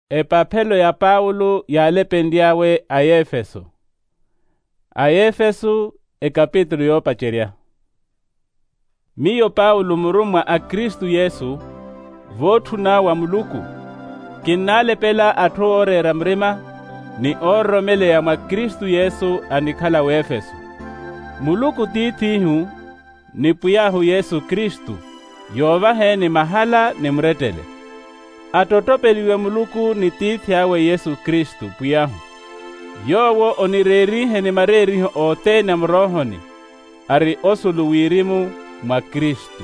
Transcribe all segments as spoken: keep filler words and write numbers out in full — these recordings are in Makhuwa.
Epaphelo ya paulo yaalepenly'awe a efeso. A efeso. Ekapitulu yoopacerya. Miyo paulo murummwa a kristu yesu, vootthuna wa muluku, kinnaalepela atthu ooreera murima ni oororomeleya mwa kristu yesu anikhala w'efeso. Muluku tiith'ihu ni pwiy'ahu yesu kristu, yoovaheeni mahala ni murettele. Attottopeliwe muluku ni tiithi awe yesu kristu pwiy'ahu, yoowo onireeriheni mareeriho othene a muroohoni, ari osulu wirimu mwa kristu.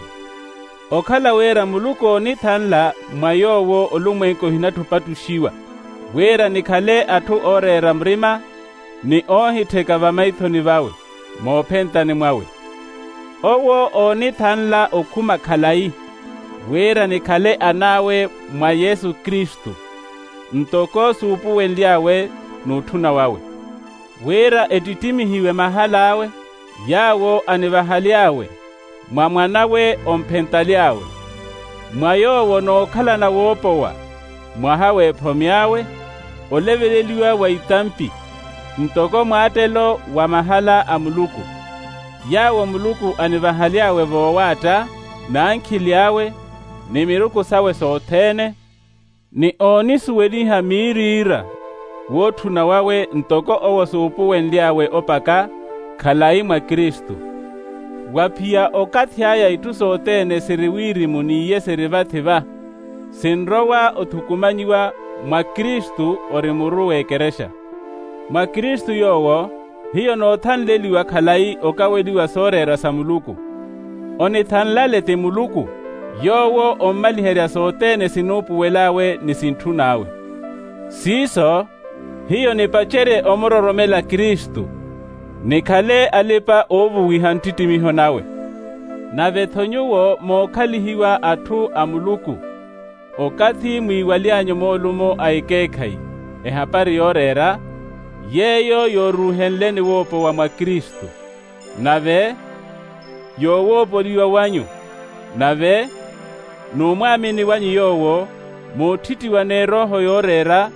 Okhala wira muluku oonithanla mwa yoowo olumwenku ohinatthu opattuxiwa, wira nikhale atthu ooreera murima ni oohittheka vamaithoni vawe moophentani mwawe. Owo oonithanla okhuma khalayi, wira nikhale an'awe mwa yesu kristu, ntoko suupuwenly'awe n'utthuna wawe, wira ettittimihiwe mahal'awe yaawo anivahaly'awe mwa mwan'awe omphentaly'awe, mwa yoowo nookhalana woopowa mwaha w'ephomi awe, oleveleliwa wa itampi ntoko mwaattelo wa mahala a muluku, yaawo muluku anivahaly'awe voowaatta n'ankhili awe ni miruku sawe sothene, ni oonisuweliha miiriira wootthuna wawe ntoko owo suupuwenly'awe opaka khalayi mwa kristu. Wa phiya okathi aya itthu sothene siri wirimu n'iye siri vathi va, sinrowa othukumanyiwa mwa kristu ori muru w'ekerexa. Mwa kristu yoowo hiyo noothanleliwa khalayi okaweliwa sooreera sa muluku. Onithanlale ti muluku, yoowo ommaliherya sothene sinuupuwel'awe ni sintthun'awe. Siiso, hiyo nipacerye omuroromela kristu, nikhale alipa-oovuwiha nttittimiho nawe. Nave-tho nyuwo mookhalihiwa atthu a muluku, okathi mwiiwaly'anyu moolumo a ekeekhayi ehapari yooreera, yeeyo yooruuhenleni woopowa mwa kristu, nave yoowoopoliwa wanyu, nave n'umwaamini wanyu yoowo, moottittiwa n'erooho yooreera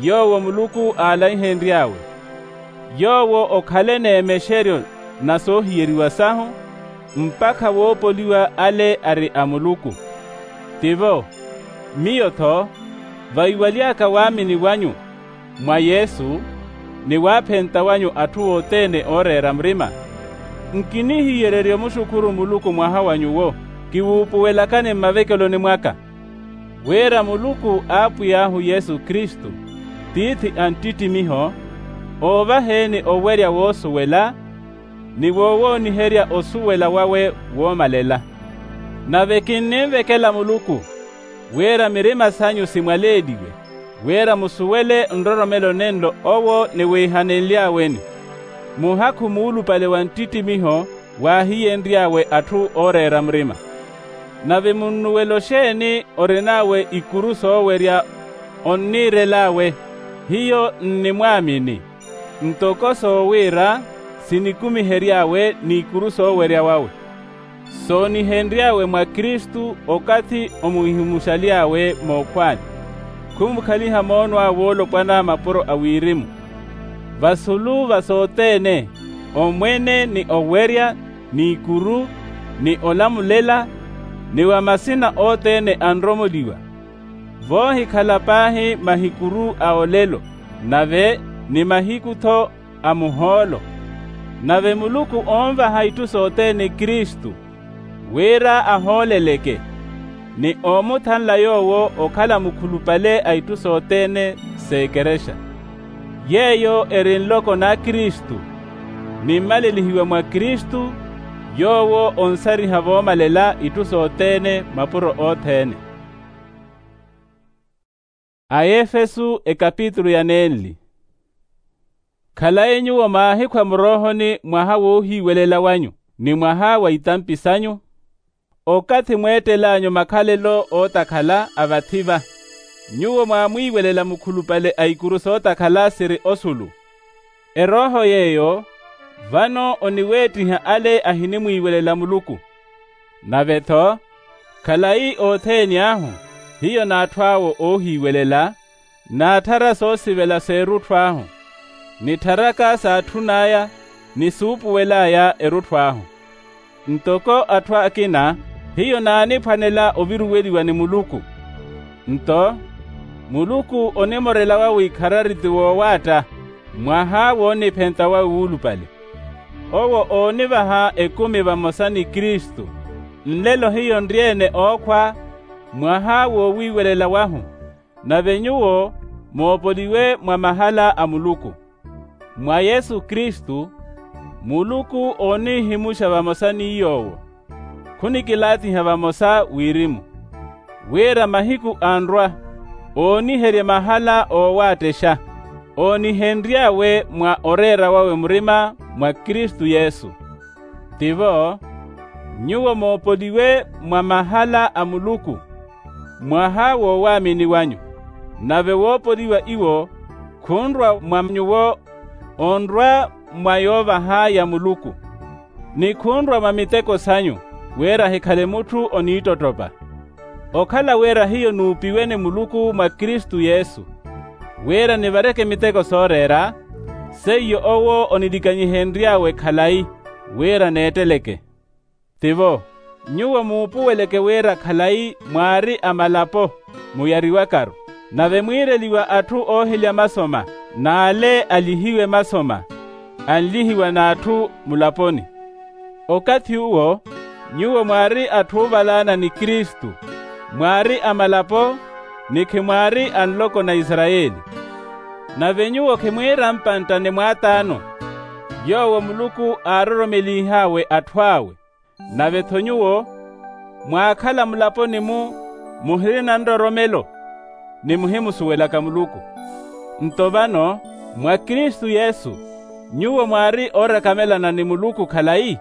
yoowo muluku aalaihenry'awe, yoowo okhale n'emexeryo na soohiyeriwa sahu mpakha woopoliwa ale ari a muluku. Tivo, miyo-tho, vaiwaly'aka waamini wanyu mwa yesu, ni waaphenta wanyu atthu othene ooreera murima, nkinihiyererya omuxukhuru muluku mwaha wa nyuwo kiwuupuwelakani mmavekeloni mwaka. Wira muluku apwiy'ahu yesu kristu, tiithi a nttittimiho, oovaheeni owerya woosuwela ni wowooniherya osuwela wawe woomalela. Nave kinninvekela muluku wira mirima sanyu simwaleeliwe, wira musuwele nroromelo nenlo owo niwiihanenly'aweni, muhakhu muulupale wa nttittimiho waahiyenry'awe atthu ooreera murima. Nave munnuwela oxeeni orin'awe ikuru soowerya onniirel'awe, hiyo nnimwaamini, ntoko soowira sinikumihery'awe n'ikuru soowerya wawe, soonihenry'awe mwa kristu okathi omuhimuxaly'awe mookhwaani, khumukhaliha moono awe woolopwana mapuro a wirimu. Vasulu va sothene, omwene ni owerya, n'ikuru, ni olamulela, ni wa masina othene anromoliwa, voohikhala paahi mahikuru a olelo, nave ni mahiku-tho a muhoolo. Nave muluku onvaha itthu sothene kristu, wira ahooleleke, ni omuthanla yoowo okhala mukhulupale a itthu sothene s'ekerexa. Yeeyo eri nloko na kristu, nimmalelihiwa mwa kristu, yoowo onsariha voomalela itthu sothene mapuro othene. Aefesu ekapitulu ya nenli. Khalayi nyuwo maahikhwa muroohoni mwaha woohiiwelela wanyu ni mwaha wa itampi sanyu, okathi mweettel'anyu makhalelo ootakhala a vathi-va, nyuwo mwaamwiiwelela mukhulupale a ikuru sootakhala siri osulu. Erooho yeeyo vano oniweettiha ale ahinimwiiwelela muluku. Nave-tho khalayi othene ahu, hiyo n'atthu awo oohiiwelela, Naatthara soosivela s'erutthu ahu, nittharaka saatthun'aya ni suupuwel'aya erutthu ahu. Ntoko atthu akina, hiyo naaniphwanela oviruweliwa ni muluku. Nto muluku onimorela wawe ikharari ti woowaatta, mwaha wooniphenta wawe wuulupale. Owo oonivaha ekumi vamosa ni kristu. Nlelo hiyo nri-ene ookhwa, mwaha woowiiwelela wahu. Nave nyuwo moopoliwe mwa mahala a muluku. Mwa yesu kristu, muluku oonihimuxa vamosa ni yoowo. Khunikilaatiha vamosa wirimu, wira mahiku anrwa, ooniherye mahala oowaatexa, oonihenry'awe mwa oreera wawe murima mwa kristu yesu. Tivo, nyuwo moopoliwe mwa mahala a muluku, mwaha woowaamini wanyu. Nave woopoliwa iwo, khunrwa mwa nyuwo, onrwa mwa yoovaha ya muluku, ni khunrwa mwa miteko sanyu, wira hikhale mutthu oniittottopa. Okhala wira hiyo nuupiwe ni muluku mwa kristu yesu, wira nivareke miteko sooreera, seiyo owo onilikanyihenry'awe khalayi, wira neetteleke. Tivo, nyuwo muupuweleke wira khalayi mwaari a malapo, muyariwakaru, nave mwiireliwa atthu oohilya masoma, n'ale alihiwe masoma, anlihiwa n'atthu mulaponi. Okathi uwo, nyuwo mwaari atthu oovalaana ni kristu, mwaari a malapo, ni khimwaari a nloko na isarayeli. Nave nyuwo khimwiira mpantta ni mwaataano, yoowo muluku aaroromelih'awe atthu awe. Nave-tho nyuwo, mwaakhala mulaponi-mu, muhirina nroromelo, ni muhimusuwelaka muluku. Nto vano, mwa kristu yesu, nyuwo mwaari oorakamelana ni muluku khalayi,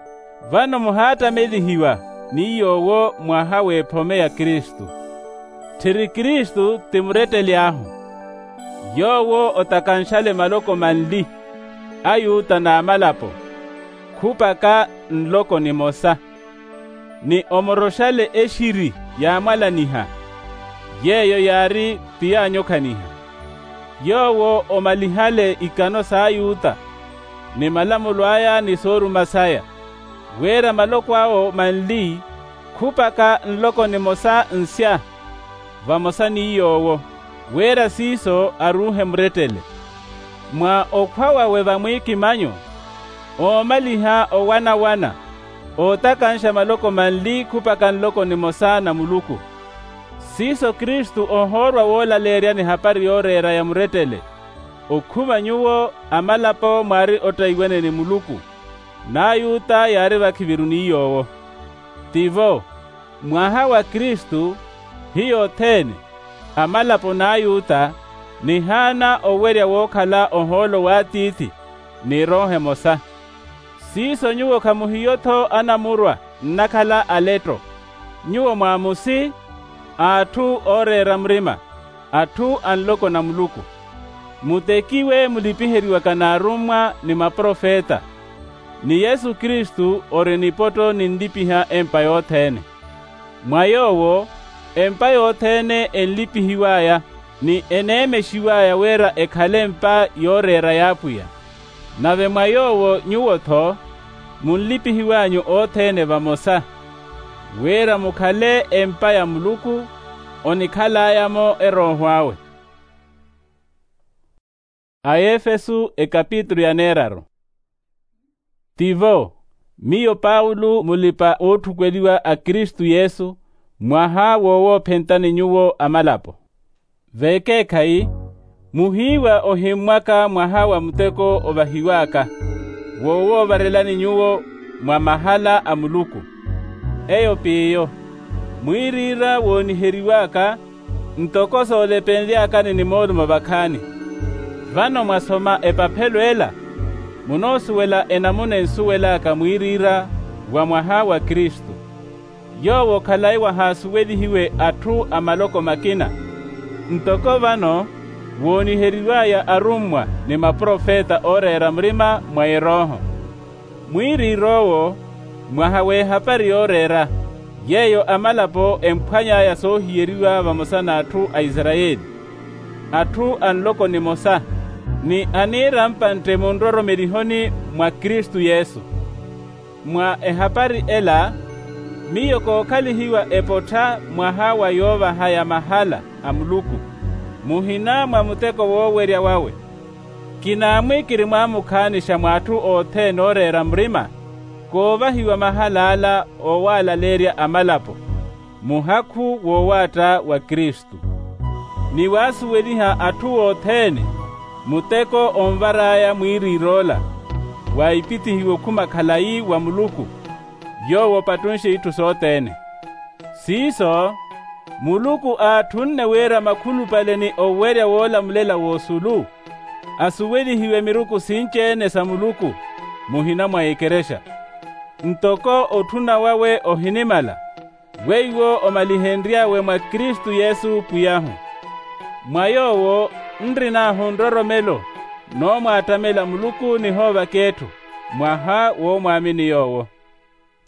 vano muhaattamelihiwa ni yoowo mwaha w'ephome ya kristu. Tthiri kristu ti muretteli ahu, yoowo otakanxale maloko manli, ayuta n'amalapo, khupaka nloko nimosa, ni omoroxale exiri yaamwalaniha, yeeyo yaari tiyaanyokhaniha. Yoowo omalihale ikano s'ayuta, ni malamulo aya ni sooruma saya, wira maloko awo manli, khupaka nloko nimosa nsya, vamosa ni yoowo, wira siiso aruuhe murettele. Mwa okhwa wawe vamwiikimanyo, oomaliha owana-wana, ootakanxa maloko manli khupaka nloko nimosa na muluku. Siiso kristu ohoorwa woolaleeryani hapari yooreera ya murettele, okhuma nyuwo amalapo mwaari ottaiwene ni muluku, n'ayuta yaari vakhiviru ni yoowo. Tivo, mwaha wa kristu, hiyo othene, amalapo n'ayuta, nihaana owerya wookhala ohoolo w'atiithi, ni erooho emosa. Siiso nyuwo khamuhiyo-tho anamurwa nnakhala aletto, nyuwo mwaamusi, atthu ooreera murima, atthu a nloko na muluku. Mutekiwe mulipiheriwaka n'arummwa ni maprofeta, ni yesu kristu ori nipotto ninlipiha empa yothene. Mwa yoowo, empa yothene enlipihiw'aya, ni eneemexiw'aya wira ekhale empa yooreera y'apwiya. Nave mwa yoowo nyuwo-tho, munlipihiw'anyu othene vamosa, wira mukhale empa ya muluku, onikhal'aya-mo erooho awe. Aefesu ekapitulu ya neeraru. Tivo, miyo paulo mulipa-ootthukweliwa a kristu yesu, mwaha wowoophentani nyuwo amalapo. V'ekeekhayi, muhiiwa ohimmwaka mwaha wa muteko ovahiw'aka, wowoovarelani nyuwo mwa mahala a muluku. Eyo p'iyo, mwiiriira wooniheriw'aka, ntoko soolepenly'akani ni moolumo vakhaani. Vano mwasoma epaphelo ela, munoosuwela enamuna ensuwel'aka mwiiriira wa mwaha wa kristu. Yoowo khalayi wahaasuwelihiwe atthu a maloko makina, ntoko vano wooniheriw'aya arummwa ni maprofeta ooreera murima mwa erooho. Mwiiriir'owo, mwaha w'ehapari yooreera, yeeyo amalapo emphwany'aya soohiyeriwa vamosa n'atthu a isarayeli. atthu a nloko nimosa, ni aniira mpantte munroromelihoni mwa kristu yesu. Mwa ehapari ela miyo kookhalihiwa epottha mwaha wa yoovaha ya mahala a muluku, muhina mwa muteko woowerya wawe. Kinaamwi kirimwaamukhaanisha mw'atthu othene ooreera murima, koovahiwa mahal'ala oowaalaleerya amalapo, muhakhu woowaatta wa kristu, ni waasuweliha atthu othene muteko onvar'aya mwiiriir'ola, waipitihiwa okhuma khalayi wa muluku, yoowo opattunxe itthu sothene. Siiso, muluku aatthunne wira makhulupale ni owerya woolamulela w'osulu, asuwelihiwe miruku sinci-ene sa muluku, muhina mwa ekerexa. Ntoko otthuna wawe ohinimala, weiwo omalihenry'awe mwa kristu yesu pwiy'ahu. Mwa yoowo nrin'ahu nroromelo, noomwaattamela muluku nihoovaka etthu, mwaha woomwaamini yoowo.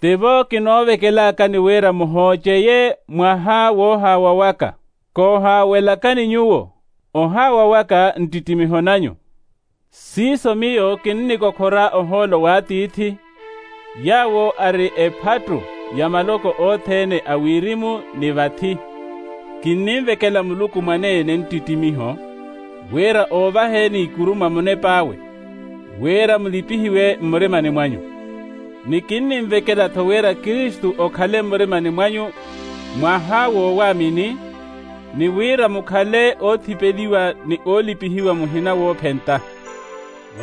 Tivo kinoovekelakani wira muhooceye mwaha woohaawa waka. Koohaawelakani nyuwo, ohaawa waka nttittimiho nanyu. Siiso miyo kinnikokhora ohoolo w'atiithi, yaawo ari ephattu ya maloko othene a wirimu ni vathi. Kinninvekela muluku mwaneene nttittimiho, wira oovaheni ikuru mwa munep'awe, wira mulipihiwe mmurimani mwanyu. Ni kinninvekela-tho wira kristu okhale mmurimani mwanyu, mwaha woowaamini, ni wira mukhale oothipeliwa ni oolipihiwa muhina woophenta,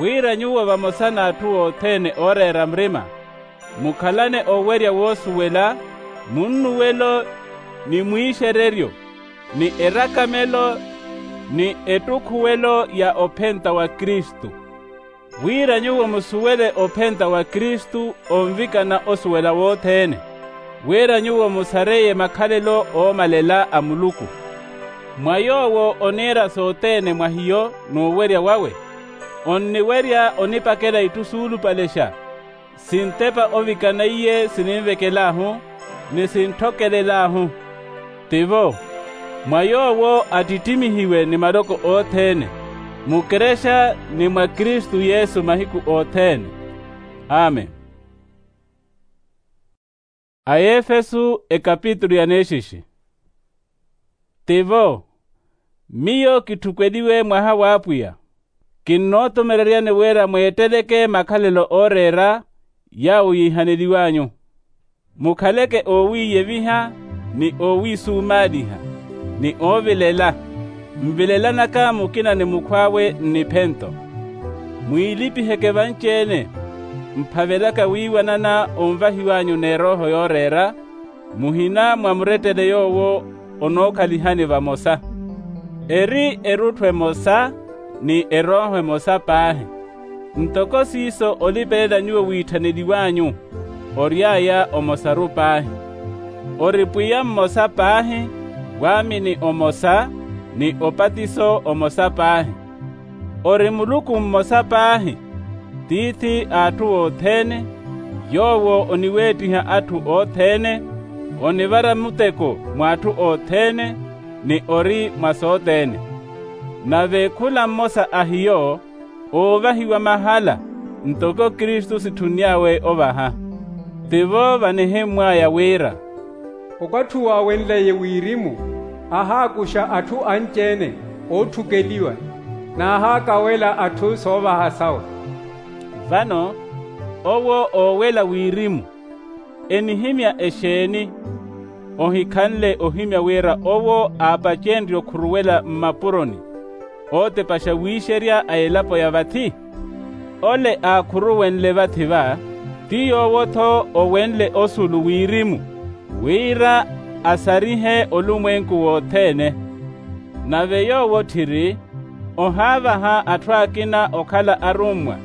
wira nyuwo vamosa n'atthu othene ooreera murima, mukhalane owerya woosuwela, munnuwelo, ni mwiixereryo, ni erakamelo, ni ettukhuwelo ya ophenta wa kristu. Wira nyuwo musuwele ophenta wa kristu onvikana osuwela wothene, wira nyuwo musareye makhalelo oomalela a muluku. Mwa yoowo oniira sothene mwa hiyo n'uwerya wawe, onniwerya onipakela itthu suulupalexa, sintepa ovikana iye sininvekel'ahu, ni sintthokelel'ahu. Tivo, mwa yoowo attittimihiwe ni maloko othene, mukerexa ni mwa kristu yesu mahiku othene. Amen. Aefesu ekapitulu ya neexixi. Tivo, miyo kitthukweliwe mwaha w'apwiya, kinnootumereryani wira mweetteleke makhalelo ooreera yaawo yiihaneliw'anyu. Mukhaleke oowiiyeviha, ni oowiisumaaliha, ni oovilela, nvilelanaka mukina ni mukhw'awe nniphento. Mwiilipiheke vanci-ene, mphavelaka wiiwanana onvahiw'anyu n'erooho yooreera, muhina mwa murettele yoowo onookhalihani vamosa. Eri erutthu emosa, ni erooho emosa paahi. Ntoko siiso olipelela nyuwo wiitthaneliw'anyu, ory'aya omosaru paahi. Ori pwiya mmosa paahi, waamini omosa, ni opatiso omosa paahi. Ori muluku mmosa paahi, tiithi a atthu othene, yoowo oniweettiha atthu othene, onivara muteko mwa atthu othene, ni ori mwa sothene. Nave khula mmosa a hiyo oovahiwa mahala, ntoko kristu sitthunny'awe ovaha. Tivo vanihimmw'aya wira, okwatthuwa wenleye wirimu, ahaakuxa atthu anci-ene ootthukeliwa, n'ahaakawela atthu soovaha sawe. Vano owo oowela wirimu enihimya exeeni? Ohikhanle ohimya wira owo aapacenrye okhuruwela mmapuroni ootepaxa wiixerya a elapo ya vathi? Ole aakhuruwenle vathi-va, ti yoowo-tho owenle osulu wirimu, wira asarihe olumwenku wothene. Nave yoowo tthiri ohaavaha atthu akina okhala arummwa,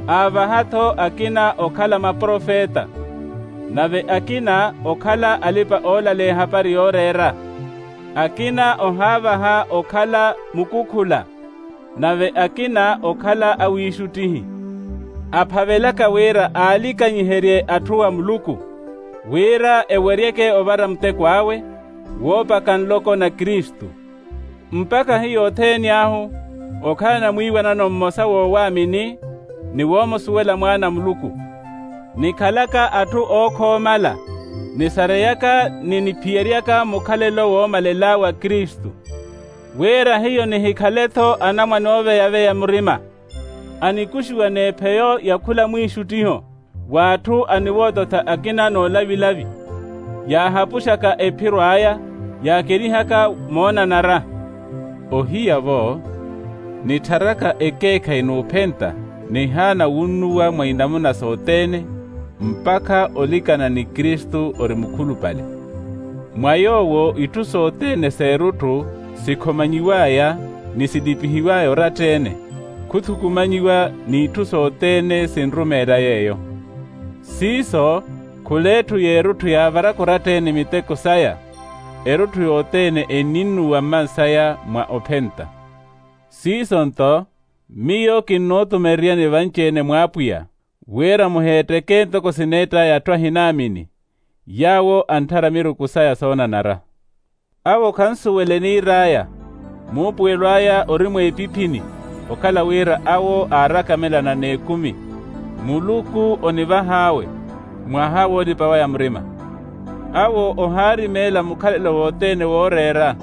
aavaha-tho akina okhala maprofeta, nave akina okhala alipa-oolaleya ehapari yooreera, akina ohaavaha okhala mukukhula, nave akina okhala awiixuttihi. Aphavelaka wira aalikanyiherye atthu a muluku, wira eweryeke ovara muteko awe, woopaka nloko na kristu. Mpakha hiyo othene ahu okhala namwiiwanano mmosa woowaamini ni woomusuwela mwaana a muluku, nikhalaka atthu ookhoomala, nisareyaka ni niphiyeryaka mukhalelo woomalela wa kristu, wira hiyo nihikhale-tho anamwane ooveya-veya murima, anikuxiwa n'epheyo ya khula mwiixuttiho w'atthu aniwoototha akina n'olavilavi, yaahapuxaka ephiro aya, yaakerihaka moonanara. Ohiya-vo nittharaka ekeekhayi n'uphenta nihaana wunnuwa mwa inamuna sothene, mpakha olikana ni kristu ori mukhulupale, mwa yoowo itthu sothene s'erutthu sikhomanyiw'aya ni silipihiw'aya oratta-ene, khuthukumanyiwa n'itthu sothene sinrumeela yeeyo. Siiso khul'etthu y'erutthu yaavaraka oratta-ene miteko saya, erutthu yothene enninnuwa mmansaya mwa ophenta. Siiso-nto miyo kinnuutumereryani vanci-ene mw'apwiya, wira muheetteke ntoko sineett'aya atthu ahinaamini, yaawo antthara miruku saya soonanara. Awo khansuwela eniir'aya, muupuwelo aya ori mweepiphini, okhala wira awo aarakamelana n'ekumi, muluku onivah'awe mwaha woolipa waya murima. Awo ohaarimeela mukhalelo wothene wooreera,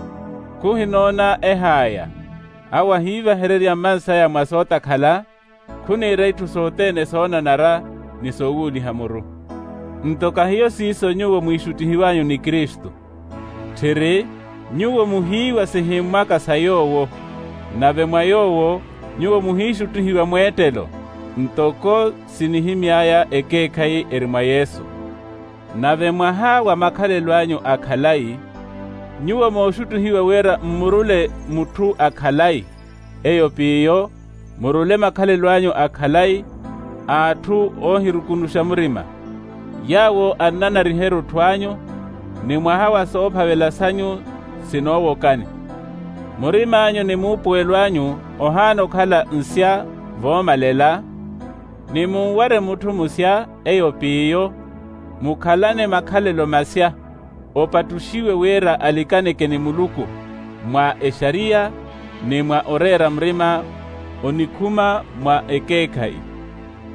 khuhinoona eh'aya. Awo ahiivahererya mmansaya mwa sootakhala, khuniira itthu sothene soonanara ni soowuuliha muru. Nto kahiyo siiso nyuwo mwiixuttihiw'anyu ni kristu, tthiri nyuwo muhiiwa sihimmwaka sa yoowo, nave mwa yoowo nyuwo muhiixuttihiwa mweettelo, ntoko sinihimy'aya ekeekhayi eri mwa yesu. Nave mwaha wa makhalelo anyu a khalayi, nyuwo mooxuttihiwa wira mmurule mutthu a khalayi, eyo p'iyo murule makhalelo anyu a khalayi, a atthu oohirukunuxa murima, yaawo annanariha erutthu anyu, ni mwaha wa soophavela sanyu sinoowokani. Murim'anyu ni muupuwelo anyu ohaana okhala nsya voomalela, ni munware mutthu musya, eyo p'iyo mukhalane makhalelo masya, opattuxiwe wira alikaneke ni muluku mwa exariya, ni mwa oreera murima onikhuma mwa ekeekhayi.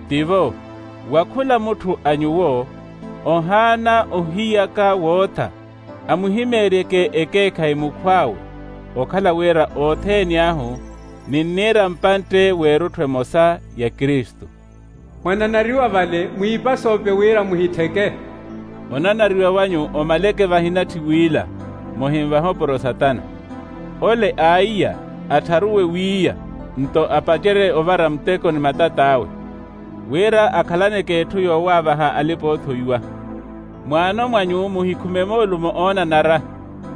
Tivo, wa khula mutthu a nyuwo ohaana ohiyaka wootha, amuhimeeryeke ekeekhayi mukhw'awe, okhala wira othene ahu ninniira mpantte w'erutthu emosa ya kristu. Mwananariwa vale mwiipasoope wira muhittheke. Onanariwa wanyu omaleke vahinatthi wiila, muhinvaha opuro satana. Ole aiya attharuwe wiiya, nto apacerye ovara muteko ni matat'awe, wira akhalaneke etthu yoowaavaha alipa-oothoiwa. Mwaano mwanyu muhikhume moolumo oonanara,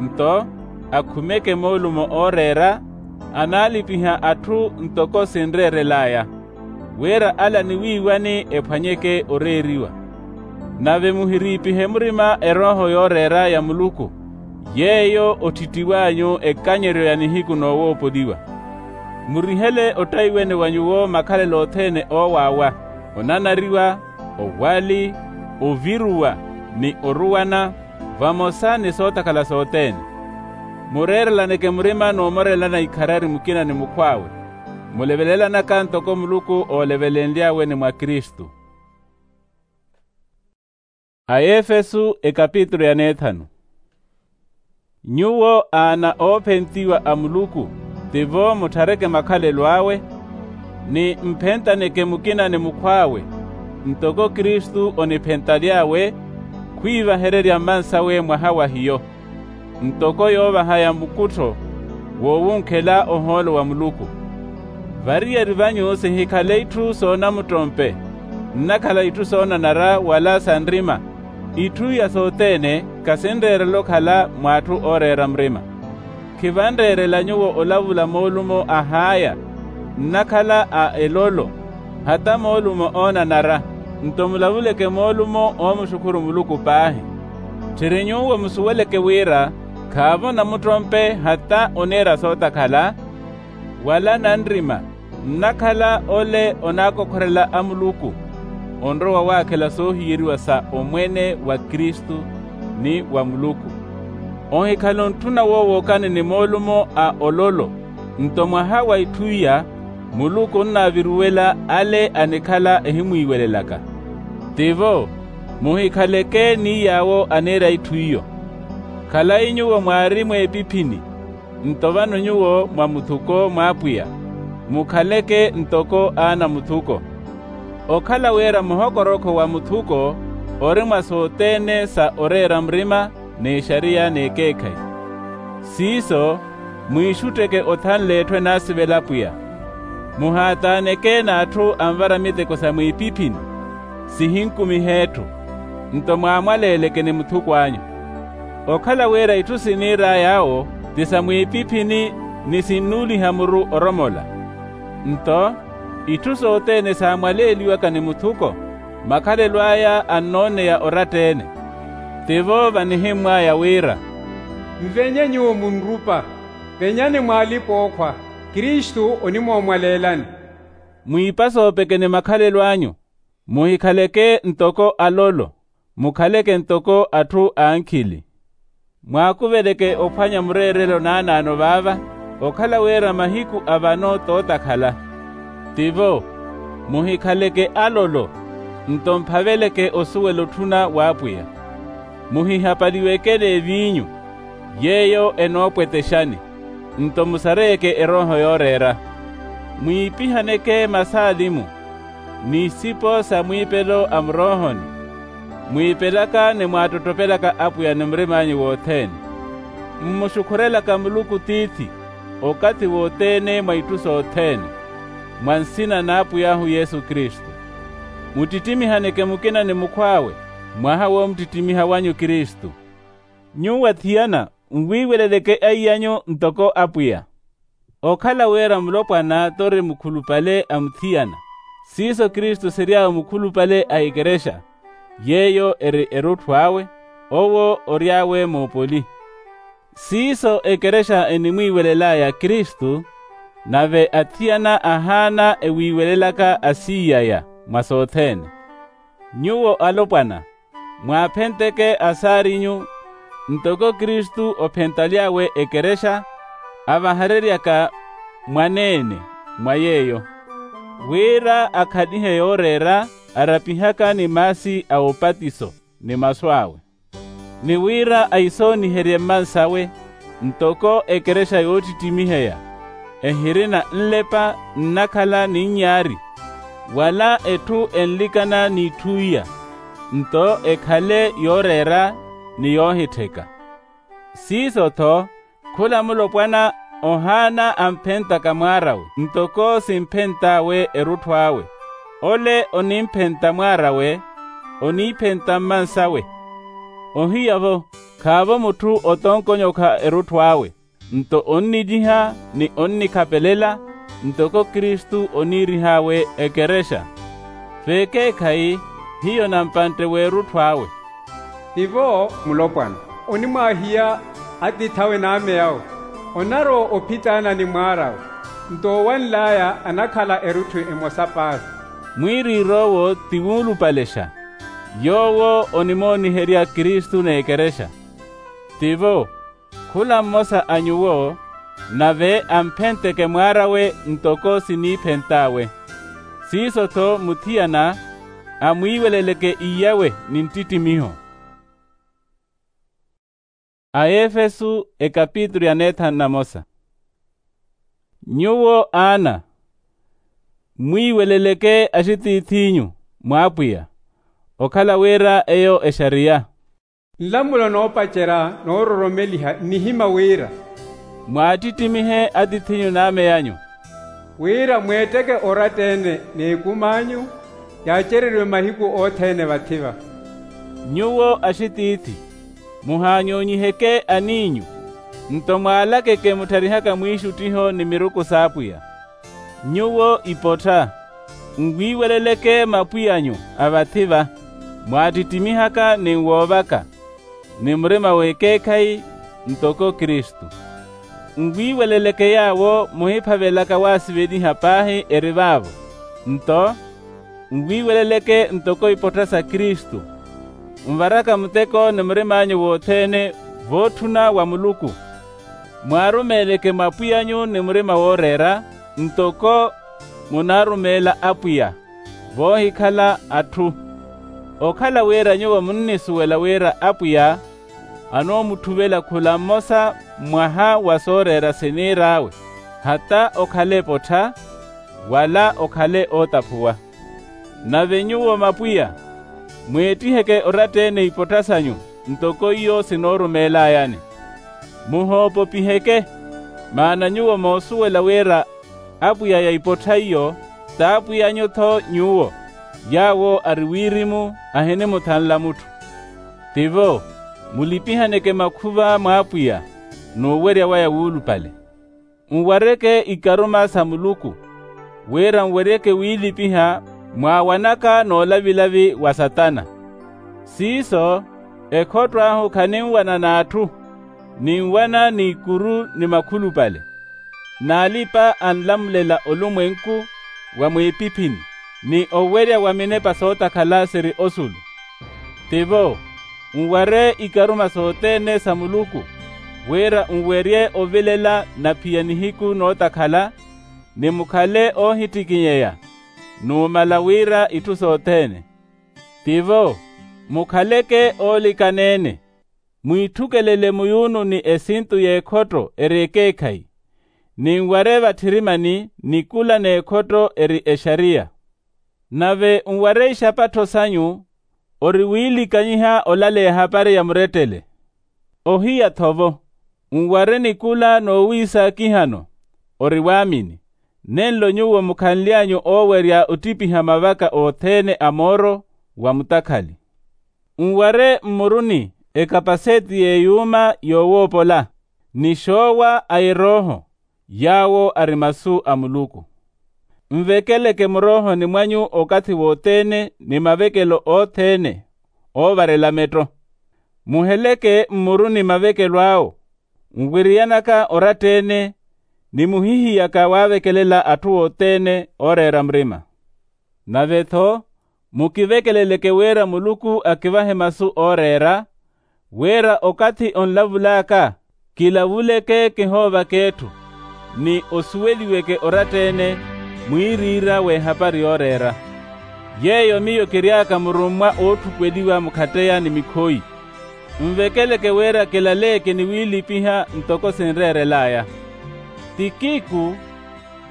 nto akhumeke moolumo ooreera, anaalipiha atthu ntoko sinreerel'aya, wira ala niwiiwani ephwanyeke oreeriwa. Nave muhiriipihe murima erooho yooreera ya muluku, yeeyo otthittiw'anyu ekanyeryo ya nihiku noowoopoliwa. Murihele ottaiwene wa nyuwo makhalelo othene oowaawa, onanariwa, owali, oviruwa, ni oruwana, vamosa ni sootakhala sothene. Mureerelaneke murima n'umorelana ikharari mukina ni mukhw'awe, mulevelelanaka ntoko muluku oolevelenly'awe ni mwa kristu. Aefesu ekapitulu ya neethanu. Nyuwo aana oophentiwa a muluku, tivo mutthareke makhalelo awe, ni mphentaneke mukina ni mukhw'awe, ntoko kristu oniphentaly'awe, khwiivahererya mmansawe mwaha wa hiyo, ntoko yoovahaya mukuttho woowunkhela ohoolo wa muluku. Variyari vanyu sihikhale itthu soonamuttompe, nnakhala itthu soonanara wala sa nrima. Itthu iya sothene khasinreerela okhala mw'atthu ooreera murima. Khivanreerela nyuwo olavula moolumo a haya, nnakhala a elolo, hata moolumo oonanara, nto mulavuleke moolumo oomuxukhuru muluku paahi. Tthiri nyuwo musuweleke wira khaavo namuttompe hata oniira sootakhala, wala nanrima, nnakhala ole onaakokhorela a muluku, onrowa waakhela soohiyeriwa sa omwene wa kristu ni wa muluku. Ohikhala ontthuna woowokani ni moolumo a ololo. Nto mwaha wa itthu iya muluku onnaaviruwela ale anikhala ehimwiiwelelaka. Tivo, muhikhaleke ni yaawo aniira itthu iyo. Khalayi nyuwo mwaari mweepiphini, nto vano nyuwo mwa muthuko mw'apwiya. Mukhaleke ntoko aana muthuko. Okhala wira muhokorokho wa muthuko ori mwa sothene sa oreera murima, n'exariya n'ekeekhayi. Siiso, mwiixutteke othanle etthu enaasivela apwiya. Muhaataaneke n'atthu anvara miteko sa mwiipiphini, sihinkumihe etthu. Nto mwaamwaleeleke ni muthuko anyu. Okhala wira itthu siniir'aya awo ti sa mwiipiphini, ni sinnuuliha muru oromola. Nto itthu sothene saamwaleeliwaka ni muthuko, makhalelo aya annooneya oratta-ene. Tivo vanihimmw'aya wira, nvenye nyuwo munrupa, venyani mw'alipa-ookhwa, kristu onimoomwaleelani. Mwiipa soopeke ni makhalelo anyu. Muhikhaleke ntoko alolo, mukhaleke ntoko atthu ankhili. Mwaakuveleke ophwanya mureerelo naanaano vaava, okhala wira mahiku a vano tootakhala. Tivo, muhikhaleke alolo, nto mphaveleke osuwela otthuna w'apwiya. Muhihapaliweke n'eviinyu, yeeyo enoopwetexani, nto musareyeke erooho yooreera. Mwiipihaneke masaalimu, n'isipo sa mwiipelo a muroohoni, mwiipelaka ni mwaattottopelaka apwiya ni murim'anyu wothene, mmuxukhurelaka muluku tiithi, okathi wothene mwa itthu sothene, mwa nsina n'apwiy'ahu yesu kristu. Muttittimihaneke mukina ni mukhw'awe, mwaha w'omuttittimiha wanyu kristu. Nyuwo athiyana, nwiiweleleke aiy'anyu ntoko apwiya. Okhala wira mulopwana t'ori mukhulupale a muthiyana, siiso kristu siry'awe mukhulupale a ekerexa, yeeyo eri erutthu awe, owo ory'awe moopoli. Siiso ekerexa enimwiiwelel'aya kristu, nave athiyana ahaana ewiiwelelaka asiiy'aya mwa sothene. Nyuwo alopwana, mwaaphenteke asaar'inyu, ntoko kristu ophentaly'awe ekerexa, avahareryaka mwaneene mwa yeeyo, wira akhalihe yooreera, arapihaka ni maasi a opatiso ni masu awe, ni wira aisooniherye mmansawe, ntoko ekerexa yoottittimiheya, ehirina nlepa nnakhala ni nnyaari, wala etthu enlikana n'itthu iya, nto ekhale yooreera ni yoohittheka. Siiso-tho, khula mulopwana ohaana amphentaka mwaar'awe ntoko simphent'awe erutthu awe, ole onimphenta mwaar'awe, oniiphenta mmansawe. Ohiya-vo, khaavo mutthu otonkonyokha erutthu awe, nto onniliha ni onnikhapelela, ntoko kristu oniirih'awe ekerexa. V'ekeekhayi, hiyo nampantte w'erutthu awe. Tivo mulopwana, onimwaahiya atiith'awe n'ameyawe, onarowa ophitaana ni mwaar'awe, nto owanl'aya anakhala erutthu emosa paahi. Mwiiriir'owo ti wuulupalexa, yoowo onimooniherya kristu n'ekerexa. Tivo, khula mmosa a nyuwo, nave amphenteke mwaar'awe ntoko siniiphent'awe. Siiso-tho muthiyana, amwiiweleleke iyawe ni nttittimiho. Aefesu ekapitulu ya neethanu na mosa. Nyuwo aana, mwiiweleleke axitiith'inyu mw'apwiya, okhala wira eyo exariya. Nlamulo noopacerya noororomeliha nnihima wira, mwaattittimihe atiith'inyu n'amey'anyu, wira mweetteke oratta-ene n'ekum'anyu, yaacereriwe mahiku othene vathi-va. Nyuwo axitiithi, muhaanyoonyiheke aniinyu, nto mwaalakeke muttharihaka mwiixuttiho ni miruku s'apwiya. Nyuwo ipottha, nwiiweleleke mapwiy'anyu a vathi-va, mwaattittimiihaka ni nwoovaka, ni murima w'ekeekhayi, ntoko kristu. Nwiiweleleke yaawo muhiphavelaka waasiveliha paahi eri vaavo, nto nwiiweleleke ntoko ipottha sa kristu, nvaraka muteko ni murim'anyu wothene, vootthuna wa muluku. Mwaarumeeleke mwa pwiy'anyu ni murima wooreera, ntoko munaarumeela apwiya, voohikhala atthu. Okhala wira nyuwo munnisuwela wira apwiya anoomuthuvela khula mmosa mwaha wa sooreera siniir'awe, hata okhale epottha, wala okhale ootaphuwa. Nave nyuwo mapwiya, mweettiheke oratta-ene ipottha sanyu, ntoko iyo sinoorumeelayani. Muhoopopiheke, maana nyuwo moosuwela wira apwiya ya ipottha iyo t'apwiy'anyu-tho nyuwo, yaawo ari wirimu ahinimuthanla mutthu. Tivo, mulipihaneke makhuva mw'apwiya n'uwerya waya wuulupale. Nwareke ikaruma sa muluku, wira nweryeke wiilipiha mwaawanaka n'olavilavi wa satana. Siiso, ekhotto ahu khaninwana n'atthu, ninwana n'ikuru ni makhulupale, n'alipa anlamulela olumwenku wa mwiipiphini, ni owerya wa minepa sootakhala siri osulu. Tivo, nware ikaruma sothene sa muluku, wira nwerye ovilela na phiya nihiku nootakhala, ni mukhale oohittikinyeya, numala wira itthu sothene. Tivo, mukhaleke oolikana-ene, mwiitthukelele muyuunu ni esintu y'ekhotto eri ekeekhayi, ni nware vathirimani nikula n'ekhotto eri exariya. Nave nware ixapattho sanyu ori wiilikanyiha olaleya ehapari ya murettele. Ohiya-tho-vo, nware nikula noowiisaakihano ori waamini, nenlo nyuwo mukhanly'anyu oowerya ottipiha mavaka othene a mooro wa mutakhali. Nware mmuruni ekapaseti y'eyuuma yoowoopola, ni xoowa a erooho, yaawo ari masu a muluku. Nvekeleke muroohoni mwanyu okathi wothene ni mavekelo othene oovarela metto. Muheleke mmuruni mavekelo awo, nwiriyanaka oratta-ene, ni muhihiyaka waavekelela atthu othene ooreera murima. Nave-tho, mukivekeleleke wira muluku akivahe masu ooreera, wira okathi onlavul'aka, kilavuleke kihoovaka etthu, ni osuweliweke oratta-ene mwiiriira w'ehapari yooreera. Yeeyo miyo kiry'aka murummwa ootthukweliwa mukhatteya ni mikhoyi. Nvekeleke wira kilaleyeke ni wiilipiha ntoko sinreerel'aya. Tikiku,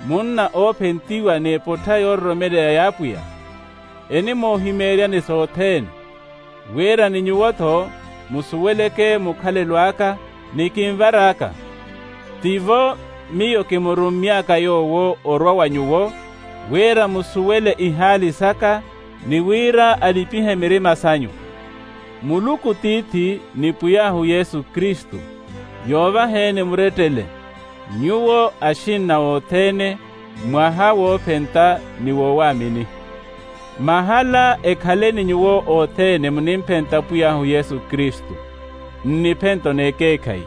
munna oophentiwa n'epottha yoororomeleya y'apwiya, enimoohimeeryani sothene, wira ni nyuwo-tho musuweleke mukhalelo aka ni kinvar'aka. Tivo miyo kimurummy'aka yoowo orwa wa nyuwo, wira musuwele ihaali saka, ni wira alipihe mirima sanyu. Muluku tiithi ni pwiy'ahu yesu kristu, yoovaheni murettele, nyuwo axinna othene, mwaha woophenta ni wowaamini. Mahala ekhaleni nyuwo othene munimphenta pwiy'ahu yesu kristu, nniphento n'ekeekhayi.